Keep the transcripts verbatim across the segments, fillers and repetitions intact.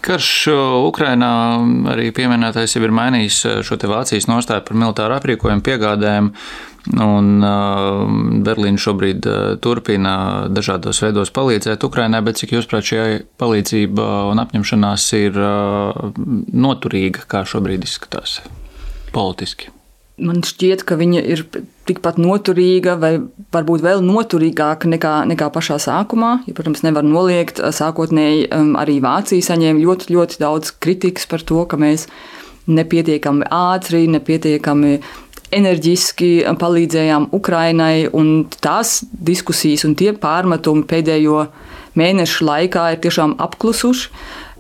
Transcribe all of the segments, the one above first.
Karš Ukrainā arī pieminētais jau ir mainījis šo te Vācijas nostāju par militāru aprīkojumu piegādēm, un Berlīna šobrīd turpina dažādos veidos palīdzēt Ukrainai, bet cik jūsuprāt šī palīdzība un apņemšanās ir noturīga, kā šobrīd izskatās politiski? Man šķiet, ka viņa ir tikpat noturīga vai varbūt vēl noturīgāka nekā, nekā pašā sākumā. Ja, protams, nevar noliegt, sākotnēji arī Vācija saņēma ļoti, ļoti daudz kritikas par to, ka mēs nepietiekami ātri, nepietiekami enerģiski palīdzējām Ukrainai, un tās diskusijas un tie pārmetumi pēdējo mēnešu laikā ir tiešām apklusuši.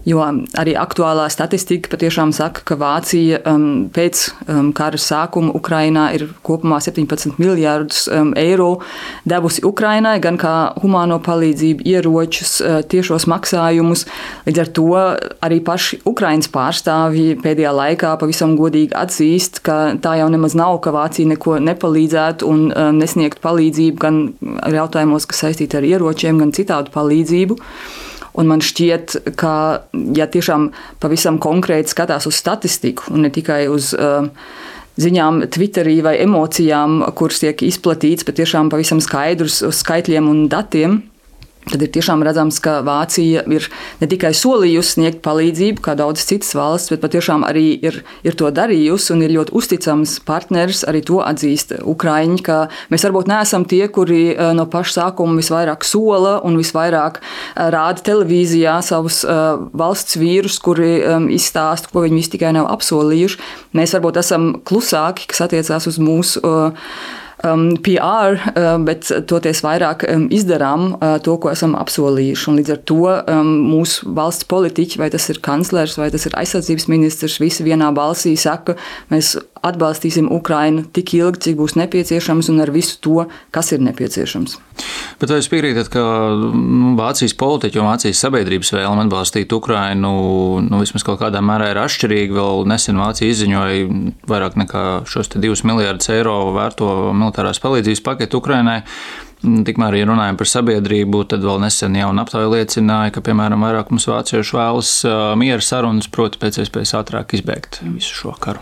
Jo arī aktuālā statistika patiešām saka, ka Vācija um, pēc um, kara sākuma Ukrainā ir kopumā septiņpadsmit miljārdus um, eiro devusi Ukrainai, gan kā humāno palīdzību, ieročus, uh, tiešos maksājumus. Līdz ar to arī paši Ukrainas pārstāvji pēdējā laikā pavisam godīgi atzīst, ka tā jau nemaz nav, ka Vācija neko nepalīdzētu un uh, nesniegtu palīdzību gan ar jautājumos, kas saistīti ar ieročiem, gan citādu palīdzību. Un man šķiet, ka, ja tiešām pavisam konkrēti skatās uz statistiku un ne tikai uz uh, ziņām Twitterī vai emocijām, kuras tiek izplatīts, bet tiešām pavisam skaidrs uz skaitļiem un datiem, tad ir tiešām redzams, ka Vācija ir ne tikai solījusi sniegt palīdzību, kā daudzas citas valsts, bet patiešām arī ir, ir to darījusi un ir ļoti uzticams partneris, arī to atzīst Ukraiņi, ka mēs varbūt neesam tie, kuri no paša sākuma visvairāk sola un visvairāk rāda televīzijā savus valsts vīrus, kuri izstāsta, ko viņi visi tikai nav apsolījuši. Mēs varbūt esam klusāki, kas attiecās uz mūsu Um, P R, uh, bet toties vairāk um, izdarām uh, to, ko esam apsolījuši. Un līdz ar to um, mūsu valsts politiķi, vai tas ir kanclers, vai tas ir aizsardzības ministrs, visi vienā balsī saka, mēs atbalstīsim Ukrainu tik ilgi, cik būs nepieciešams un ar visu to, kas ir nepieciešams. Bet vai jūs piekrītat, ka nu, Vācijas politiķi un Vācijas sabiedrības vēlme atbalstīt Ukrainu nu, vismaz kaut kādā mērā ir atšķirīga? Vēl nesen Vācija izziņoja vairāk nekā šos te divus miljardus eiro vērto militārās palīdzības paketu Ukrainai. Tikmēr, ja runājam par sabiedrību, tad vēl nesen jauna aptauja liecināja, ka, piemēram, vairākums vāciešu vēlas miera sarunas, proti pēc iespējas ātrāk izbēgt visu šo karu.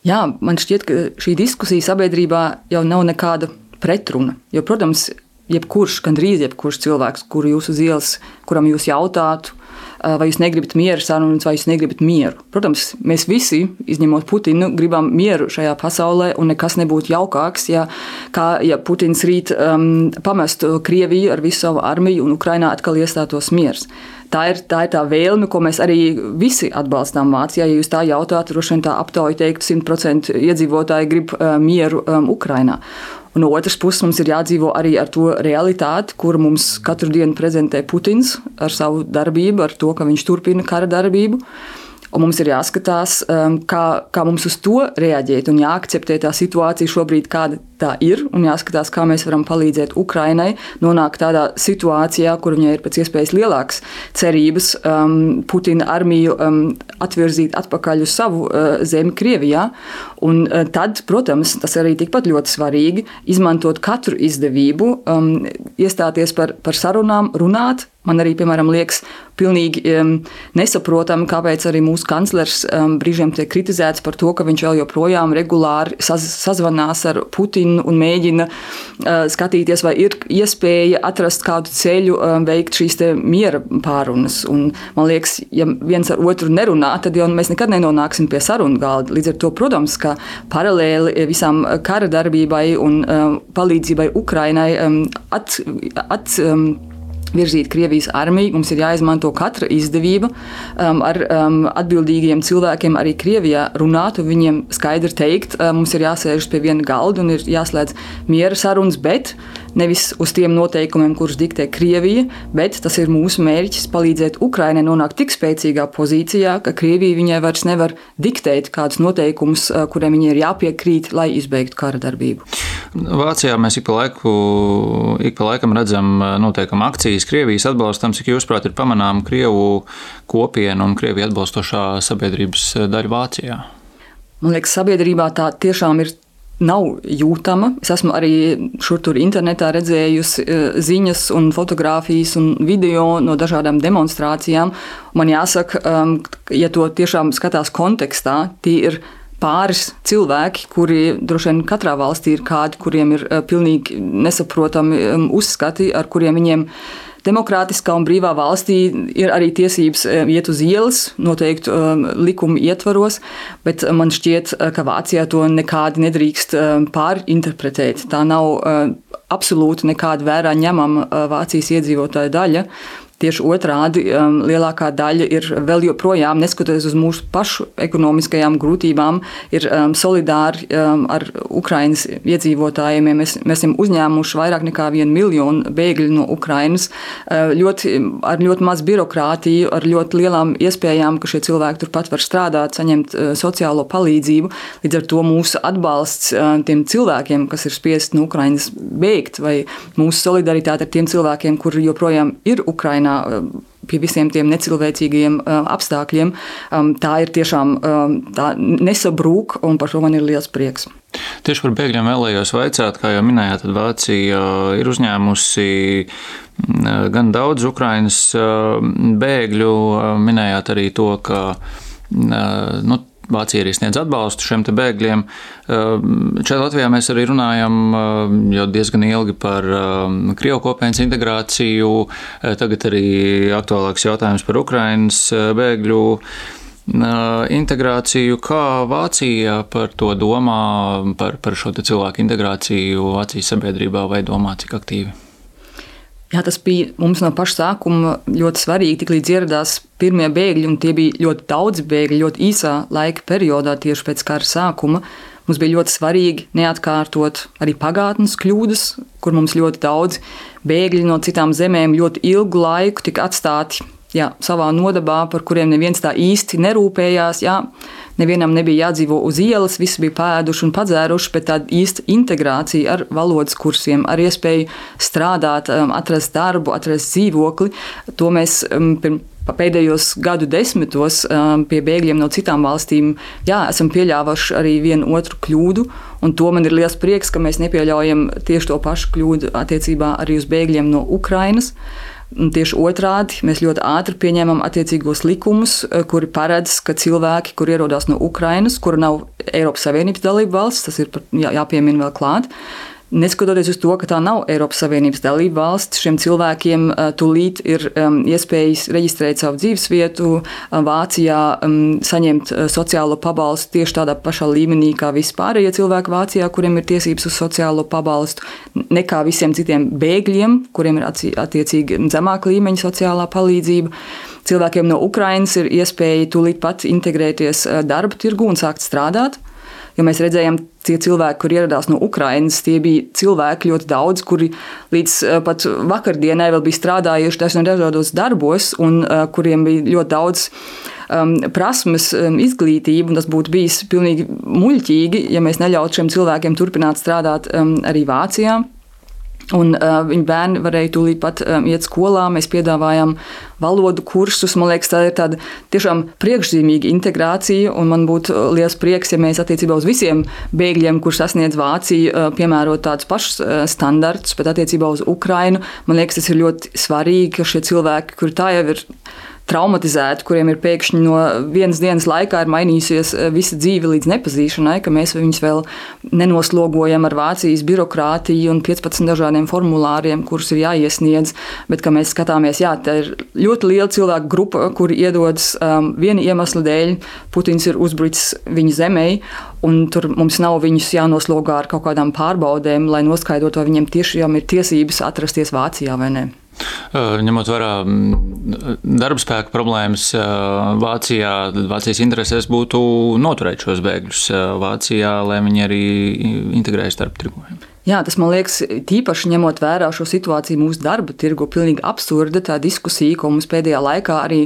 Jā, man šķiet, ka šī diskusija sabiedrībā jau nav nekāda pretruna, jo, protams, jebkurš, gandrīz jebkurš cilvēks, kuru jūs uz ielas, kuram jūs jautātu, vai jūs negribat mieru sarunas, vai jūs negribat mieru. Protams, mēs visi, izņemot Putinu, gribam mieru šajā pasaulē, un nekas nebūtu jaukāks, ja, kā, ja Putins rīt um, pamestu Krieviju ar visu savu armiju un Ukrainā atkal iestātos miers. Tā ir, tā ir tā vēlme, ko mēs arī visi atbalstām Vācijā. Ja jūs tā jautātu, droši vien tā aptauja teikt, simt procenti iedzīvotāji grib uh, mieru um, Ukrainā. Un no otras puses mums ir jādzīvo arī ar to realitāti, kuru mums katru dienu prezentē Putins ar savu darbību, ar to, ka viņš turpina kara darbību. Un mums ir jāskatās, kā, kā mums uz to reaģēt un jāakceptē tā situācija šobrīd, kāda tā ir, un jāskatās, kā mēs varam palīdzēt Ukrainai nonākt tādā situācijā, kur viņai ir pēc iespējas lielākas cerības um, Putina armiju um, atvirzīt atpakaļ uz savu uh, zemi Krievijā. Un uh, tad, protams, tas arī tikpat ļoti svarīgi, izmantot katru izdevību, um, iestāties par, par sarunām, runāt. Man arī, piemēram, liekas pilnīgi um, nesaprotami, kāpēc arī mūsu kanclers um, brīžiem tiek kritizēts par to, ka viņš vēl joprojām regulāri saz, sazvanās ar Putinu un mēģina uh, skatīties, vai ir iespēja atrast kādu ceļu, um, veikt šīs te miera pārunas. Un man liekas, ja viens ar otru nerunā, tad jau mēs nekad nenonāksim pie sarunu galda. Līdz ar to, protams, ka paralēli visām kara darbībai un um, palīdzībai Ukrainai um, at, at um, virzīt Krievijas armiju, mums ir jāizmanto katra izdevība um, ar um, atbildīgiem cilvēkiem arī Krievijā runāt un viņiem skaidri teikt, um, mums ir jāsēžas pie viena galda un ir jāslēdz miera sarunas, bet nevis uz tiem noteikumiem, kurus diktē Krievija, bet tas ir mūsu mērķis palīdzēt Ukrainai nonākt tik spēcīgā pozīcijā, ka Krievija viņai vairs nevar diktēt kādus noteikumus, kuriem viņai ir jāpiekrīt, lai izbeigtu kara darbību. Vācijā mēs ik pa, laiku, ik pa laikam redzam noteikam akcijas Krievijas atbalstam, cik jūsuprāt ir pamanām Krievu kopienu un Krieviju atbalstošā sabiedrības daļa Vācijā? Man liekas, sabiedrībā tā tiešām ir nav jūtama. Es esmu arī šur tur internetā redzējusi ziņas un fotogrāfijas un video no dažādām demonstrācijām. Man jāsaka, ja to tiešām skatās kontekstā, tie ir pāris cilvēki, kuri droši vien katrā valstī ir kādi, kuriem ir pilnīgi nesaprotami uzskati, ar kuriem viņiem demokrātiskā un brīvā valstī ir arī tiesības iet uz ielas, noteikti likuma ietvaros, bet man šķiet, ka Vācijā to nekādi nedrīkst pārinterpretēt. Tā nav absolūti nekāda vērā ņemama Vācijas iedzīvotāju daļa. Tieši otrādi, lielākā daļa ir vēl joprojām, neskatoties uz mūsu pašu ekonomiskajām grūtībām, ir solidāri ar Ukrainas iedzīvotājiem. Mēs, mēs esam uzņēmuši vairāk nekā vienu miljonu bēgļu no Ukrainas, ļoti, ar ļoti maz birokrātiju, ar ļoti lielām iespējām, ka šie cilvēki turpat var strādāt, saņemt sociālo palīdzību. Līdz ar to mūsu atbalsts tiem cilvēkiem, kas ir spiesti no Ukrainas bēgt, vai mūsu solidaritāte ar tiem cilvēkiem, kuri joprojām ir Ukrainā, pie visiem tiem necilvēcīgajiem apstākļiem, tā ir tiešām tā nesabrūk, un par to man ir liels prieks. Tieši par bēgļiem vēlējos vaicāt, kā jau minējāt, tad Vācija ir uzņēmusi gan daudz Ukrainas bēgļu, minējāt arī to, ka nu, Vācija arī sniedz atbalstu šiem te bēgļiem. Šeit Latvijā mēs arī runājam jau diezgan ilgi par Krievu kopienas integrāciju, tagad arī aktuālāks jautājums par Ukrainas bēgļu integrāciju. Kā Vācija par to domā, par, par šo te cilvēku integrāciju Vācijas sabiedrībā, vai domā cik aktīvi? Jā, tas bija mums no paša sākuma ļoti svarīgi, tik līdz ieradās pirmie bēgļi, un tie bija ļoti daudz bēgļi, ļoti īsā laika periodā tieši pēc kara sākuma. Mums bija ļoti svarīgi neatkārtot arī pagātnes kļūdas, kur mums ļoti daudz bēgļi no citām zemēm ļoti ilgu laiku tika atstāti jā, savā nodabā, par kuriem neviens tā īsti nerūpējās. Jā. Nevienam nebija jādzīvo uz ielas, visi bija pēduši un padzēruši, bet tāda īsta integrācija ar valodas kursiem, ar iespēju strādāt, atrast darbu, atrast dzīvokli. To mēs pēdējos gadu desmitos pie bēgļiem no citām valstīm jā, esam pieļāvuši arī vienu otru kļūdu, un to man ir liels prieks, ka mēs nepieļaujam tieši to pašu kļūdu attiecībā arī uz bēgļiem no Ukrainas. Tieši otrādi, mēs ļoti ātri pieņēmām attiecīgos likumus, kuri paredz, ka cilvēki, kur ierodās no Ukrainas, kura nav Eiropas Savienības dalība valsts, tas ir jā, jāpiemina vēl klāt, neskatoties uz to, ka tā nav Eiropas Savienības dalība valsts, šiem cilvēkiem tūlīt ir um, iespējas reģistrēt savu dzīvesvietu Vācijā, um, saņemt sociālo pabalstu tieši tādā pašā līmenī kā vispārējie cilvēki Vācijā, kuriem ir tiesības uz sociālo pabalstu, nekā visiem citiem bēgļiem, kuriem ir attiecīgi zemāka līmeņa sociālā palīdzība. Cilvēkiem no Ukrainas ir iespēja tūlīt pat integrēties darba tirgu un sākt strādāt. Jo mēs redzējām, tie cilvēki, kur ieradās no Ukrainas, tie bija cilvēki ļoti daudz, kuri līdz pat vakardienai vēl bija strādājuši dažādos darbos un kuriem bija ļoti daudz um, prasmes, um, izglītību, un tas būtu bijis pilnīgi muļķīgi, ja mēs neļautu šiem cilvēkiem turpināt strādāt um, arī Vācijā. Un uh, viņu bērni varēja tūlīt pat um, iet skolā, mēs piedāvājām valodu kursus. Man liekas, tā ir tāda tiešām priekšzīmīga integrācija, un man būtu liels prieks, ja mēs attiecībā uz visiem bēgļiem, kurš sasniedz Vāciju, uh, piemērot tādus pašus uh, standartus, bet attiecībā uz Ukrainu, man liekas, tas ir ļoti svarīgi, ka šie cilvēki, kuri tā jau ir traumatizēti, kuriem ir pēkšņi no vienas dienas laikā ir mainījusies visa dzīve līdz nepazīšanai, ka mēs viņus vēl nenoslogojam ar Vācijas birokrātiju un piecpadsmit dažādiem formulāriem, kurus ir jāiesniedz, bet ka mēs skatāmies, jā, tā ir ļoti liela cilvēku grupa, kuri iedodas um, viena iemesla dēļ, Putins ir uzbrucis viņu zemei, un tur mums nav viņus jānoslogā ar kaut kādām pārbaudēm, lai noskaidrotu, vai viņiem tiešām ir tiesības atrasties Vācijā vai ne. Ņemot vērā darbspēka problēmas Vācijā, Vācijas interesēs būtu noturēt šos bēgļus Vācijā, lai viņi arī integrējas darba tirgu. Jā, tas man liekas, tīpaši ņemot vērā šo situāciju mūsu darba tirgu, pilnīgi absurda tā diskusija, ko mums pēdējā laikā arī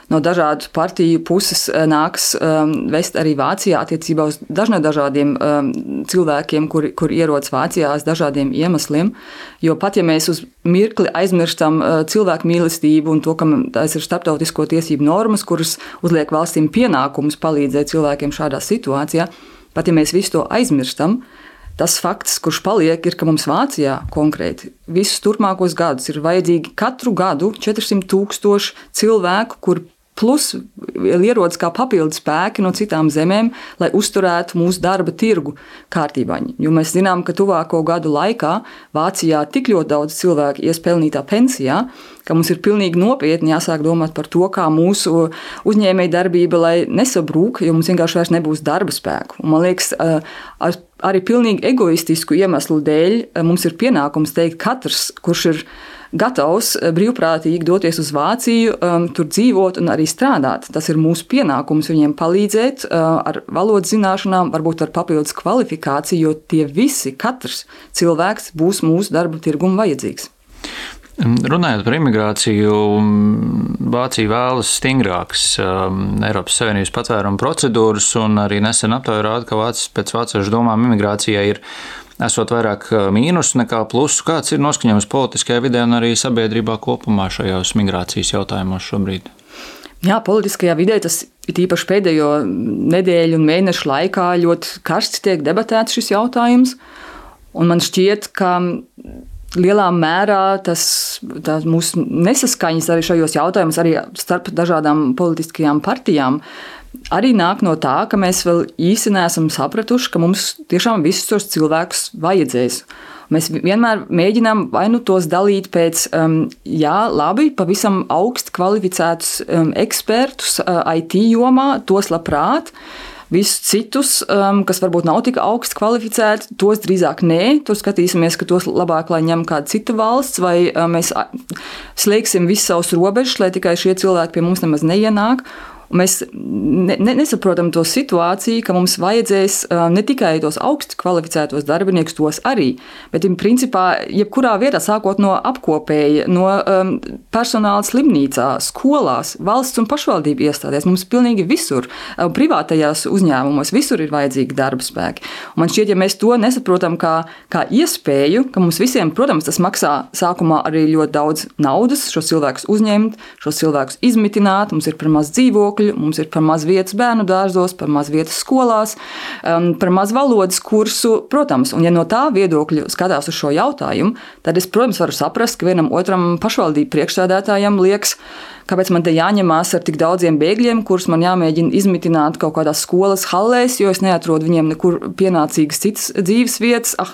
no dažādu partiju puses nāks um, vest arī Vācijā attiecībā uz dažādiem um, cilvēkiem, kuri, kuri ierodas Vācijā uz dažādiem iemesliem. Jo pat ja mēs uz mirkli aizmirstam uh, cilvēku mīlestību un to, ka tas ir starptautisko tiesību normas, kuras uzliek valstīm pienākumus palīdzēt cilvēkiem šādā situācijā, pat ja mēs visu to aizmirstam, Tas fakts, kurš paliek, ir, ka mums Vācijā konkrēti visus turpmākos gadus ir vajadzīgi katru gadu četrsimt tūkstoši cilvēku, kur plus ierodas kā papildu spēki no citām zemēm, lai uzturētu mūsu darba tirgu kārtībā. Jo mēs zinām, ka tuvāko gadu laikā Vācijā tik ļoti daudz cilvēku ies pelnītā pensijā, ka mums ir pilnīgi nopietni jāsāk domāt par to, kā mūsu uzņēmēja darbība, lai nesabrūk, jo mums vienkārši vairs nebūs darba spēku. Un man liekas, ar arī pilnīgi egoistisku iemeslu dēļ mums ir pienākums teikt katrs, kurš ir gatavs brīvprātīgi doties uz Vāciju, um, tur dzīvot un arī strādāt. Tas ir mūsu pienākums viņiem palīdzēt uh, ar valodas zināšanām, varbūt ar papildus kvalifikāciju, jo tie visi, katrs cilvēks būs mūsu darba tirgum vajadzīgs. Runājot par imigrāciju, Vācija vēlas stingrākas um, Eiropas Savienības patvērumu procedūras, un arī nesen aptauja rāda, ka Vācijas pēc vāciešu domām imigrācijai ir esot vairāk mīnusu nekā plusu. Kāds ir noskaņojums politiskajā vidē un arī sabiedrībā kopumā šajos migrācijas jautājumos šobrīd? Jā, politiskajā vidē tas ir īpaši pēdējo nedēļu un mēnešu laikā ļoti karsts tiek debatēts šis jautājums, un man šķiet, ka lielā mērā tas mūsu nesaskaņas arī šajos jautājumos, arī starp dažādām politiskajām partijām, arī nāk no tā, ka mēs vēl īsti neesam sapratuši, ka mums tiešām visus tos cilvēkus vajadzēs. Mēs vienmēr mēģinām vai nu tos dalīt pēc, um, jā, labi, pavisam augsti kvalificētus um, ekspertus uh, I T jomā, tos labprāt. Visus citus, um, kas varbūt nav tik augsti kvalificēti, tos drīzāk nē. Tur skatīsimies, ka tos labāk, lai ņem kāda cita valsts, vai um, mēs slēgsim visus savus robežus, lai tikai šie cilvēki pie mums nemaz neienāk. Mēs ne, ne, nesaprotam to situāciju, ka mums vajadzēs ne tikai tos augsti kvalificētos darbiniekus, tos arī, bet principā jebkurā vietā, sākot no apkopēja, no um, personāla slimnīcā, skolās, valsts un pašvaldību iestādēs, mums pilnīgi visur, privātajās uzņēmumos, visur ir vajadzīgi darba spēki. Un man šķiet, ja mēs to nesaprotam kā, kā iespēju, ka mums visiem, protams, tas maksā sākumā arī ļoti daudz naudas, šos cilvēkus uzņemt, šos cilvēkus izmitināt, mums ir par maz dzīvokļu, mums ir par maz vietas bērnu dārzos, par maz vietas skolās, par maz valodas kursu, protams. Un ja no tā viedokļa skatās uz šo jautājumu, tad es, protams, varu saprast, ka vienam otram pašvaldību priekšsēdētājam liekas, kāpēc man te jāņemās ar tik daudziem bēgļiem, kurus man jāmēģina izmitināt kaut kādās skolas hallēs, jo es neatrodu viņiem nekur pienācīgas citas dzīves vietas. Ah,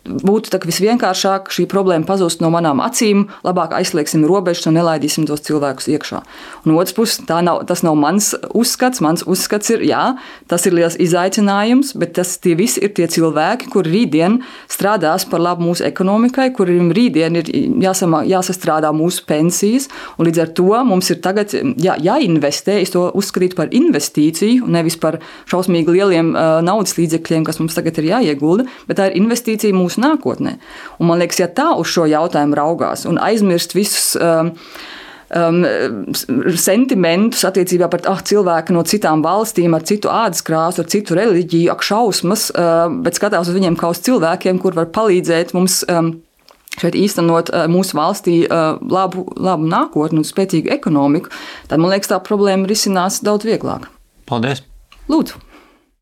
būtu tā visvienkāršāk šī problēma pazust no manām acīm, labāk aizslēgsim robežas un nelaidīsim tos cilvēkus iekšā. Un otrs puses, tā nav, tas nav mans uzskats. Mans uzskats ir, jā, tas ir liels izaicinājums, bet tas tie visi ir tie cilvēki, kuri rītdien strādās par labu mūsu ekonomikai, kuriem rītdien ir jāsama, jāsastrādā mūsu pensijas, un līdz ar to mums ir tagad jā, jāinvestē, es to uzskatītu par investīciju, nevis par šausmīgi lieliem uh, naudas līdzekļiem, kas mums tagad ir jāiegulda, bet tā ir investīcija mūsu nākotnē. Un man liekas, ja tā uz šo jautājumu raugās un aizmirst visus um, um, sentimentus attiecībā par ah, cilvēku no citām valstīm, ar citu ādas krāsu, ar citu reliģiju, ak šausmas, uh, bet skatās uz viņiem kā uz cilvēkiem, kur var palīdzēt mums um, šeit īstenot mūsu valstī labu, labu nākotni un spēcīgu ekonomiku, tad, man liekas, tā problēma risinās daudz vieglāk. Paldies! Lūdzu!